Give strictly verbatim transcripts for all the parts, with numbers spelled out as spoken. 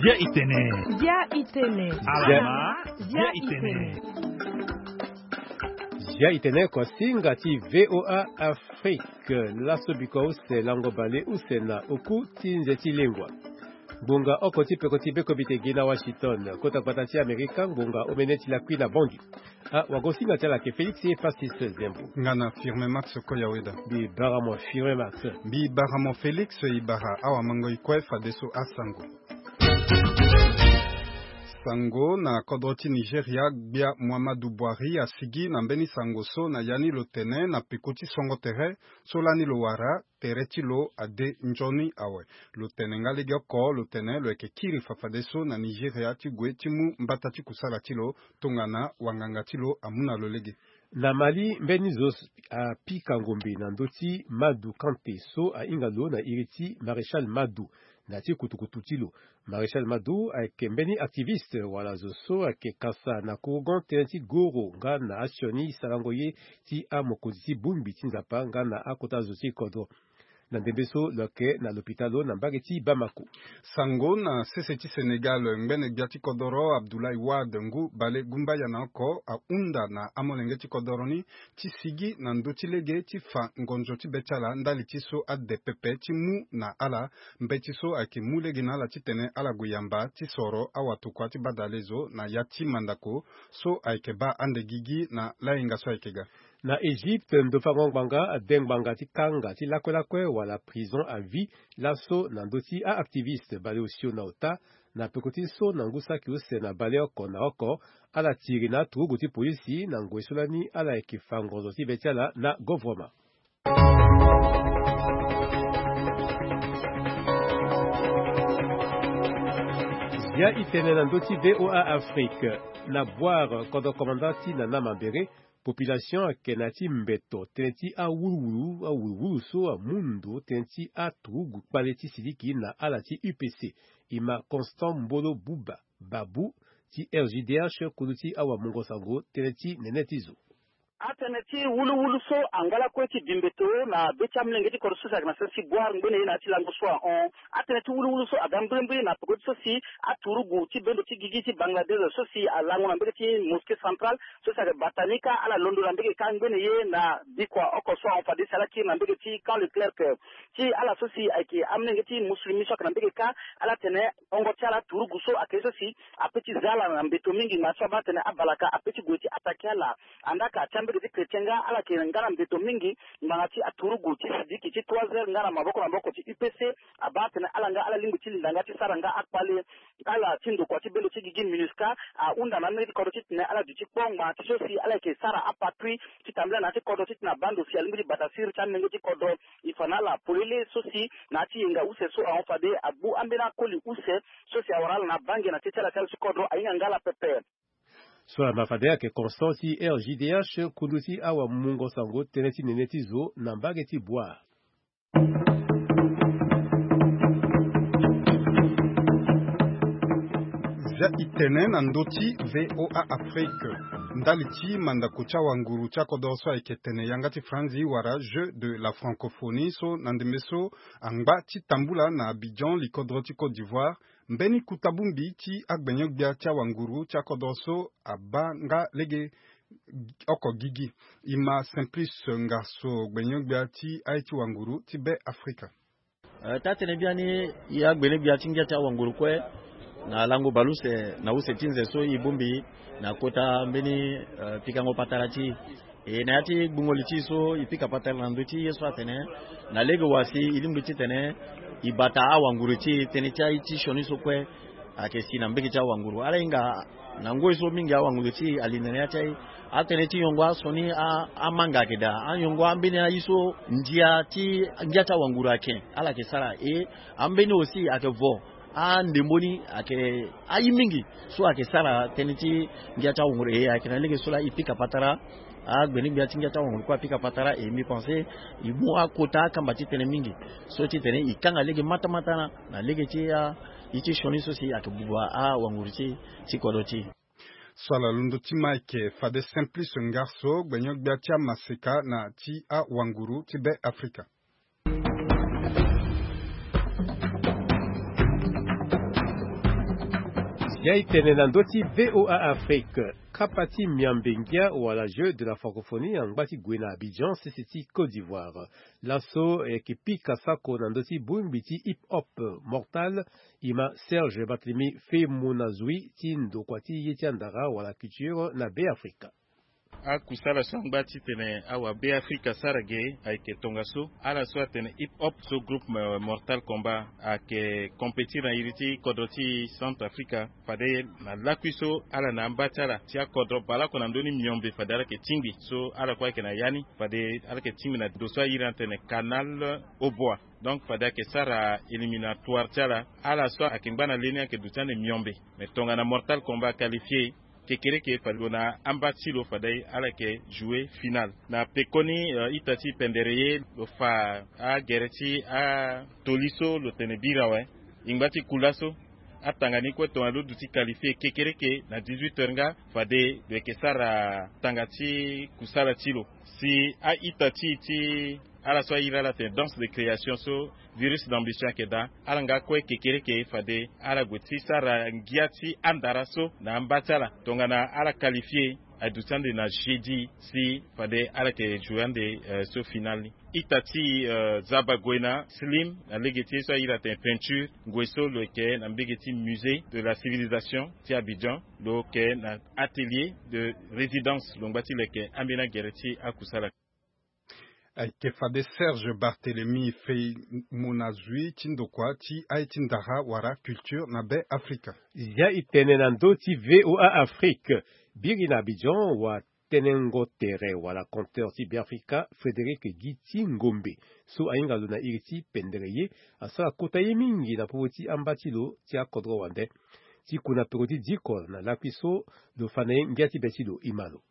Zia itene. Zia itene. Alama. Zia itene. Zia itene, kosinga ti VOA Afrique. Laso biko use lango bale use na oku ti nze ti lengua. Ngbonga oko ti peko ti beko bite gi na Washington, kota gbata ti Amerika, ngbonga omene ti lakui na Bangui. Ah, wagosinga ti ala ke Félix Francis Zembo. Nga na Firme Max Koyaweda. Mbi bara mo Firme Max. Mbi bara mo Félix, i bara awamango i kue fadeso asango. Sango na kodro ti Nigeria, gbia Muhammadu Buhari asigi na mbeni sango so na ya ni lo tene na peko ti songo tere so lani lo wara tere ti lo ade nzoni awe. Lo tene nga lege oko, lo tene lo yeke kiri fafadeso na Nigeria ti gue ti mu mbata ti kusala ti lo tongana wanganga ti lo amu na lo lege. Na Mali, mbeni zo apika ngombe na ndö ti Madu Kante so ahinga lo na iri ti Maréchal Madu na ti kutukutu ti lo. Maréchal Madu ayeke mbeni activiste wala zo so ayeke kasa na korogon tënë ti goro nga na asioni sarango ye ti amokonzi ti bongbi ti Nzapa nga na akota zo ti kodro. Na ndembe so lo yeke na lopitalo na mbage ti Bamako. Sango na sese ti Sénégal, ngbene gbia ti kodoro Abdoulaye Wade ngu bale gumbaya na oko ahunda na amolenge ti kodoro ni ti sigi na ndö ti lege ti fa ngonzo ti be ti ala ndali ti so ade pepe ti mu na ala mbeti so ayeke mu lege na ala titene ala gue yamba ti soro awatokua ti badalezo na ya ti mandako so ayeke baa ande gigi na lahinga so ayeke ga. Na Égypte, ndofango ngbanga ade ngbanga ti kanga ti lakue lakue wala prison à vie laso na ndö ti a-activiste baleosio na ota na peko ti so na ngu saki use na baleoko na oko. Ala tiri na aturugu ti polisi na ngoi so lani ala yeke fa ngonzo ti be ti ala na govrema. Zia itene na ndö ti VOA Afrique. Na Bouar, kodro komanda ti Nana Mambéré, population ayeke na ya ti mbeto tënë ti awuluwulu awuluwulu so amu ndo tënë ti aturugu kpale ti siliki na ala ti U P C. E ma Constant Mbolo Buba Babu ti R J D H, kundu ti awamungo sango tënë ti nene ti zo. Atënë ti wuluwulu so angba lakue ti bi mbeto na be ti amolenge ti kodro so si ayeke na sese ti Bouar ngbene ye na ya ti lango so ahon. Atënë ti wuluwulu so aga mbrimbri na peko ti so si aturugu ti bendo ti gigi ti Bangladesh so si alango na mbege ti mosquée centrale so si ayeke bata ni kâ ala londo na mbege kâ ngbene ye na bikua oko so ahon fade si ala kiri na mbege ti Camp Leclerc. Ti ala so si ayeke amolenge ti musulmi so ayeke na mbege kâ, ala tene hongo ti ala aturugu so ayeke ye so si ape ti za ala na mbeto mingi, ngba so abaa atene abalaka ape ti gue ti attaqué ala. Andaa ka ti ambege ti chrétien nga ala yeke nga na mbeto mingi. Ngbanga ti aturugu ti sidiki ti trois heures nga na maboko na maboko ti U P C abaa atene ala nga ala lingbi ti linda nga ti sara nga akpale. Ala ti ndokua ti bendo ti gigi MINUSCA ahunda na amolenge ti kodro titene ala duti kpo ngbanga ti so si ala yeke sara apatrouille ti tambula na ya ti kodro titene abaa ndo si alingbi ti bata siriri ti amolenge ti kodro. E fa na ala polele so si na ya ti yenga use so ahon fade agbu ambeni akoli use so si awara ala na bange na tie ti ala ti ala ti kodro ahinga nga ala pepe. So ala ma fade ayeke Constant ti R J D H, kundu ti awamungo sango tënë ti nene ti zo na mbage ti Bouar. Zia itene na ndö ti VOA Afrique. Ndali ti mandako ti awanguru ti akodoro so ayeke tene yanga ti franzi wala Jeux de la Francophonie so na ndembe so angba ti tambula na Abidjan, likodro ti Côte d'Ivoire, mbeni kuta bongbi ti agbenyo-gbia ti awanguru ti akodoro so abaa nga lege oko gigi. E ma Simplice Ngasso, gbenyo-gbia ti aye ti wanguru ti Be Afrika. Eh, taa-tënë biani, e agbene-gbia ti ngia ti awanguru kue na lango baleuse na use ti nze so e bongbi na kota mbeni, eh, pikango patara ti e. E na ya ti gbungo li ti e so e pika patara na ndö ti ye so atene na lege wa si e lingbi titene e bata awanguru ti e, tënë ti aye ti sioni so kue ayeke si na mbege ti awanguru. Ala hinga na ngoi so mingi awanguru ti e ali na ya ti aye. Atënë ti nyongo asioni a, amanga ayeke daa. Anyongo ambeni aye so ndia ti ngia ti awanguru ayeke, ala yeke sara e. Ambeni aussi ayeke vo andembo ni ayeke aye mingi so ayeke sara tënë ti ngia ti awanguru. E ayeke na lege so laa e pika patara. Agbene-gbia ti ngia ti awanguru kue apika patara. E mbi pense e mu akota akamba ti tënë mingi so titene e kanga lege matamata na, na lege ti a, ye ti sioni so si ayeke buba awanguru ti, ti kodro ti e. So ala londo ti ma ayeke fade Simplice Ngarso, gbenyo-gbia ti amaseka na ti awanguru ti Be Afrika. Ya e tene na ndö ti V O A Afrique. Kapa ti miambe ngia wala Jeux de la Francophonie angba ti gue na Abidjan, sese ti Côte d'Ivoire. Laso e yeke pika sako na ndö ti bongbi ti hip hop Mortal, e ma Serge Barthélemy Femonazui ti ndokua ti ye ti andara wala culture na Be Afrika. Akusala so angba titene awabe Afrika asara ge ayeke tongaso. Ala so atene hip hop so groupe, eh, Mortal Kombat ayeke compétir na iri ti kodro ti Centrafrica. Fade na lakui so ala na amba ti ala ti akodro baleoko na ndö ni miombe fade ala yeke tingbi. So ala kue ayeke na ya ni fade ala yeke tingbi na ndo so airi atene Canal Aubois. Donc fade ayeke sara éliminatoire ti ala. Ala so ayeke ngba na le ni ayeke duti ande miombe. Mais tongana Mortal Kombat aqualifie, kekereke fade lo na amba ti lo fade ala yeke jouer finale. Na pekoni, eh, ita ti pendere ye lo fa agere ti atoli so lo tene bira awe. E ngba ti ku laso atanga ni kue tongana lo duti qualifie kekereke na dix-huit heures nga fade lo yeke sara tanga ti kusala ti lo. Si a-ita ti e ti ala so airi ala atene danse de création so Virus d'Ambition ayeke daa, ala nga kue kekereke fade ala gue ti sara ngia ti andara so na amba ti ala. Tongana ala qualifie aduti ande na jeudi si fade ala yeke jouer ande, eh, so finale ni. Ita ti, eh, Zaba Goena Slim na lege ti ye so airi atene Peinture, ngoi so lo yeke na mbege ti Musée de la Civilisation ti Abidjan, lo yeke na atelier de résidence lo ngba ti lo yeke ambeni agere ti akusala. Ayeke fade Serge Barthélemy Femonazui ti ndokua ti aye ti ndara wala culture na Be Afrika. Ya e tene na ndö ti V O A Afrique. Biri na Abidjan, watënëngo tere wala conteur ti Be Afrika, Frédéric Guy ti Ngombe, so ahinga lo na iri ti pendere ye, asara kota ye mingi na popo ti amba ti lo ti akodro wande. Ti ku na peko ti diko na lakui so lo fa na ye ngia ti be ti lo, e ma lo.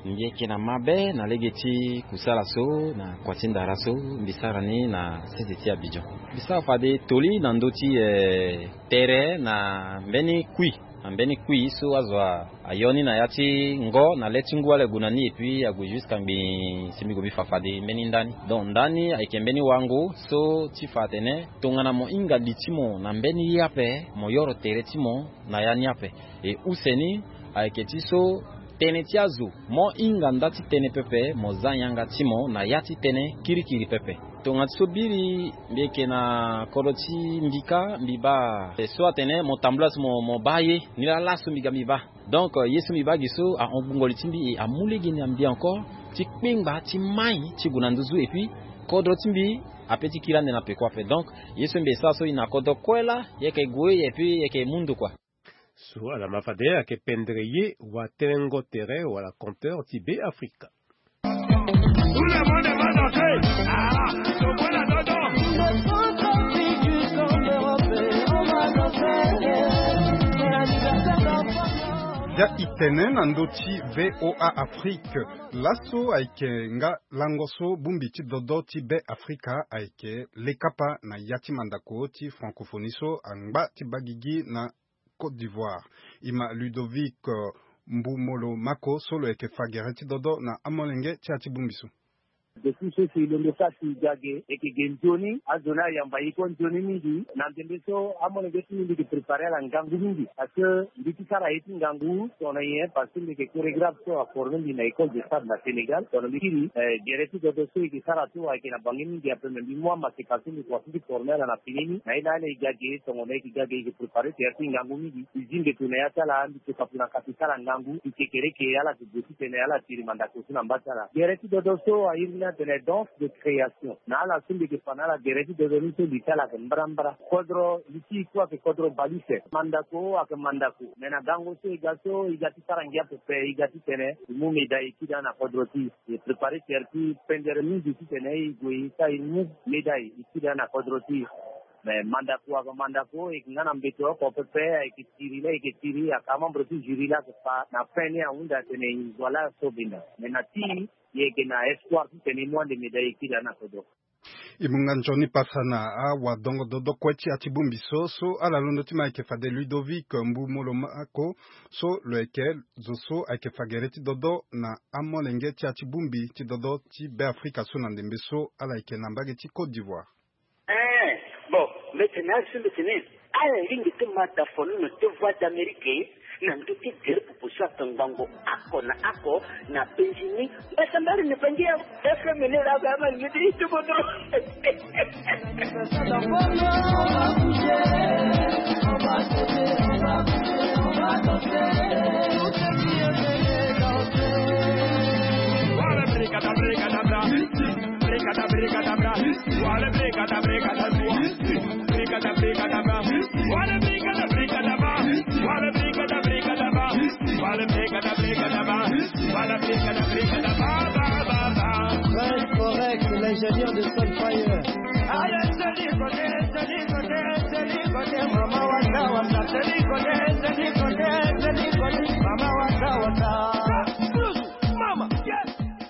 Mbi yeke na mabe na lege ti kusala so na kua ti ndara so mbi sara ni na sese ti Abidjan. Mbi sara fade toli na ndö ti, eh, tere na mbeni kui, na mbeni kui so azo a, ayo ni na ya ti ngo na le ti ngu ala gue na ni, et puis ague jusqu'à ngbii si mbi gue mbi fa fade mbeni ndani. Donc ndani ayeke mbeni wango so ti fa atene tongana mo hinga li ti mo na mbeni ye ape, mo yoro tere ti mo na ya ni ape. E use ni ayeke ti so tënë ti azo mo hinga nda ti tënë pepe, mo za yanga ti mo na ya ti tënë kirikiri pepe. Tongana ti so biri mbi yeke na kodro ti mbi kâ, mbi baa so atene mo tambula so mo, mo baa ye ni laa laso mbi ga mbi baa. Donc, euh, ye so mbi baa gi so ahon gbungo li ti mbi e amu lege na mbi encore ti kpengba ti mai ti gue na nduzu, et puis kodro ti mbi ape ti kiri ande na peko ape. Donc ye so mbi e sara so e na kodro kue laa, e yeke gue, et puis e yeke mu ndo kua. So ala ma fade ayeke pendere ye, watënëngo tere wala conteur ti Be Afrika. Ya e tene na ndö ti V O A Afrique. Laso ayeke nga lango so bongbi ti dodo ti Be Afrika ayeke lekapa na ya ti mandako ti francophonie so angba ti baa gigi na Côte d'Ivoire. E ma Ludovic, euh, Mbumolo Mako so lo yeke fa gere ti dodo na amolenge ti ya ti bongbi so. Depuis so si e londo sara si e ga ge, e yeke ge nzoni, azo ni ayamba e kue nzoni mingi. Na ndembe so amolenge ti mbi mbi yeke préparer ala ngangu mingi. Parce que mbi ti sara ye ti ngangu tongana nyen? Parce que mbi yeke chorégraphe so aforme mbi na école de sable na Sénégal. Tongana mbi kiri, eh, gere ti dodo so e yeke sara so ayeke na bange mingi ape, me mbi mu amaseka so mbi kua so mbi forme ala na fini ni. Na ye na ala e ga ge, tongana e yeke ga ge e yeke préparer tere ti ngangu mingi. E zi mbeto na ya ti ala, mbi toka pu na ka si sara ngangu, mbi kekereke ala yeke gue titene ala tiri mandako so na mba ti ala. Gere ti dodo so airi ni atene danse de création. Na ala so mbi yeke fa na ala gere ti dodo ni so li ti ala ayeke mbrambra. Kodro li ti e kue ayeke kodro baleuse. Mandako ayeke mandako. Me na gango so e ga so, e ga ti sara ngia pepe, e ga titene e mu médaille e kiri daa na kodro ti e. E préparer tere ti pendere mingi titene e gue e sara e mu médaille e kiri daa na kodro ti e. Me mandako ayeke mandako, e yeke nga na mbeto oko pepe, ayeke tiri laa e yeke tiri, ayeke amembre ti jury laa ayeke fa na fin ni ahunda atene e zo laa so benda. Me na ti e, e yeke na espoir titene e mu ande médaille e kiri daa na kodro. E mu nga nzoni pasa na awadongo dodo kue ti ya ti bongbi so so ala londo ti ma ayeke fade Ludovic Mbu Molomako, so lo yeke zo so ayeke fa gere ti dodo na amolenge ti ya ti bongbi ti dodo ti Beafrika so na ndembe so ala yeke na mbage ti Côte d'Ivoire. Eh, bon, mbeti na azo so mbeti ni. Ala lingbi ti ma da fonono ti Voix d'Amérique na ndö ti gere popo so ato ngbongo oko na oko na penzi ni. Mbeti mbali ni penzi ya F M ni la ga ma lingbi ti tubo dro. Prince Forex, l'ingénieur de Sunfire.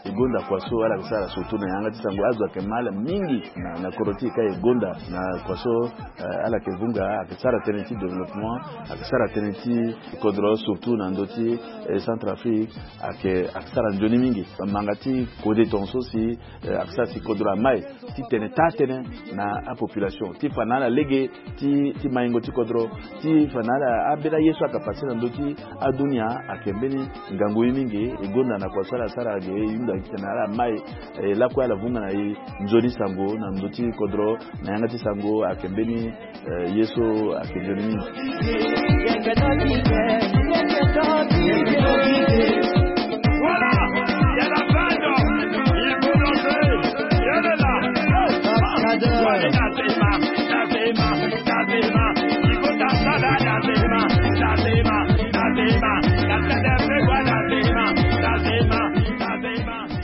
E gonda kua so ala yeke sara surtout na yanga ti sango, azo ayeke ma ala mingi na, na kodro ti e ka e gonda na kua so, eh, ala yeke vunga, ayeke sara tënë ti développement, ayeke sara tënë ti kodro surtout na ndö ti, eh, Centrafrique, ayeke, ayeke sara nzoni mingi. Manga ti kode tongaso si, eh, ayeke sara si kodro amai ti tene taa tënë na apopulation ti fa na ala lege ti, ti maingo ti kodro, ti fa na ala ambeni aye so ayeke pase na ndö ti adunia ayeke mbeni ngangu ye mingi. E gonda na kua so ala sara ge, e hunda titene ala mai, eh, lakue ala vunga na e nzoni sango na ndö ti kodro na yanga ti sango ayeke mbeni, eh, ye so ayeke nzoni mingi. Voilà, il y a la bande, il faut danser, il y a la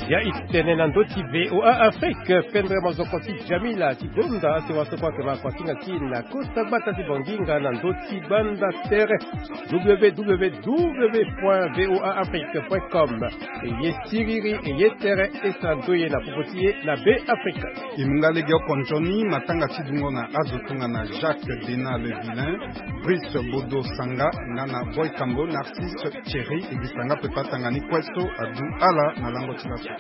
Ya i tene na ndö ti V O A Afrique, pendre mozoko ti Jamila ti gonda ate wa so kue ayeke ma kua ti nga ti na kota gbata ti Banginga na ndö ti gbanda tere W W W point V O A Afrique point com. E ye siriri, e ye tere, e sara ndoye na popo ti e na Be Afrika. E mu nga lege oko nzoni matanga ti dungo na azo tongana Jacques Dena Le Vilain, Brice Bodo Sanga, nga na Boy Kambo, Narcisse Thierry, e gi sanga pepa tanga ni kue so adu ala na lango ti laso.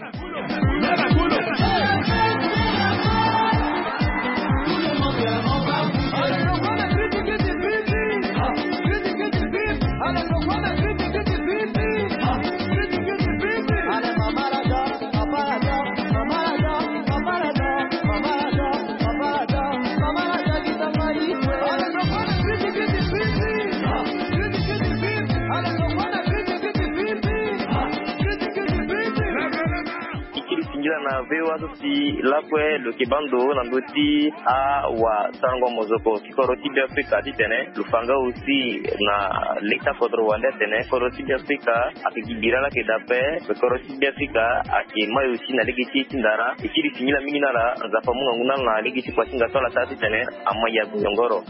Ti kiri singila na V O A so si lakue lo yeke baa ndo na ndö ti awasarango mozoko ti kodro ti Be Afrika titene lo fa nga aussi na leta kodro wande atene kodro ti Be Afrika ayeke gi bira laa ayeke daa ape. Kodro ti Be Afrika ayeke mai aussi na lege ti e ti ndara. E kiri singila mingi na ala, Nzapa amu ngangu na ala na lege ti kua ti nga so ala sara titene amai ya goyongoro.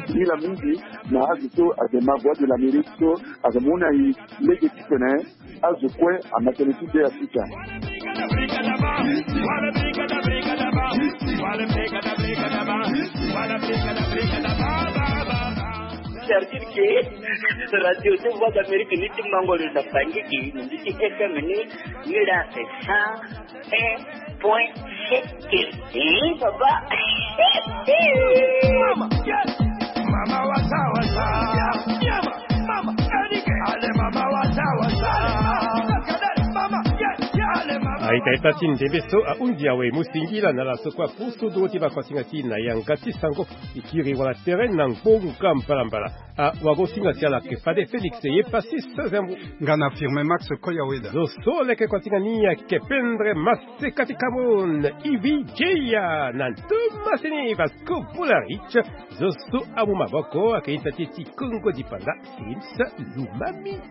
Singila mingi na azo so ayeke ma Voix de l'Amérique so ayeke mu na e lege titene azo kue ama tënë ti Be Afrika. C'est-à-dire que radio ti Voix d'Amérique ni ti mango lo na Bangui, na ndö ti F M ni, ni la c'est cent un point sept. Eh, papa. Mama, yes. Mama wasa wasa. Mama, mama, Erike. Ale mama wasa wasa. Mama, yes, yes. Ale mama. Aita ita ti ndembe so ahunzi awe mu singila na ala so kue apusu nduru ti bakosinga ti na yanga ti sango. E kiri wala tere na ngbonga mbalambala. Ah, wagosinga ti ala ayeke fade Félix ye Passis Zembo. Nga na Firmin Max Koyaweda. Zo so leke kosinga ni ayeke pendre maseka ti Cameroun, Ivi Jeya na Thomasini Vasco Bularich. Zo so amu maboko ayeke ita ti e ti Kongo Dipanda, Sims Lumami.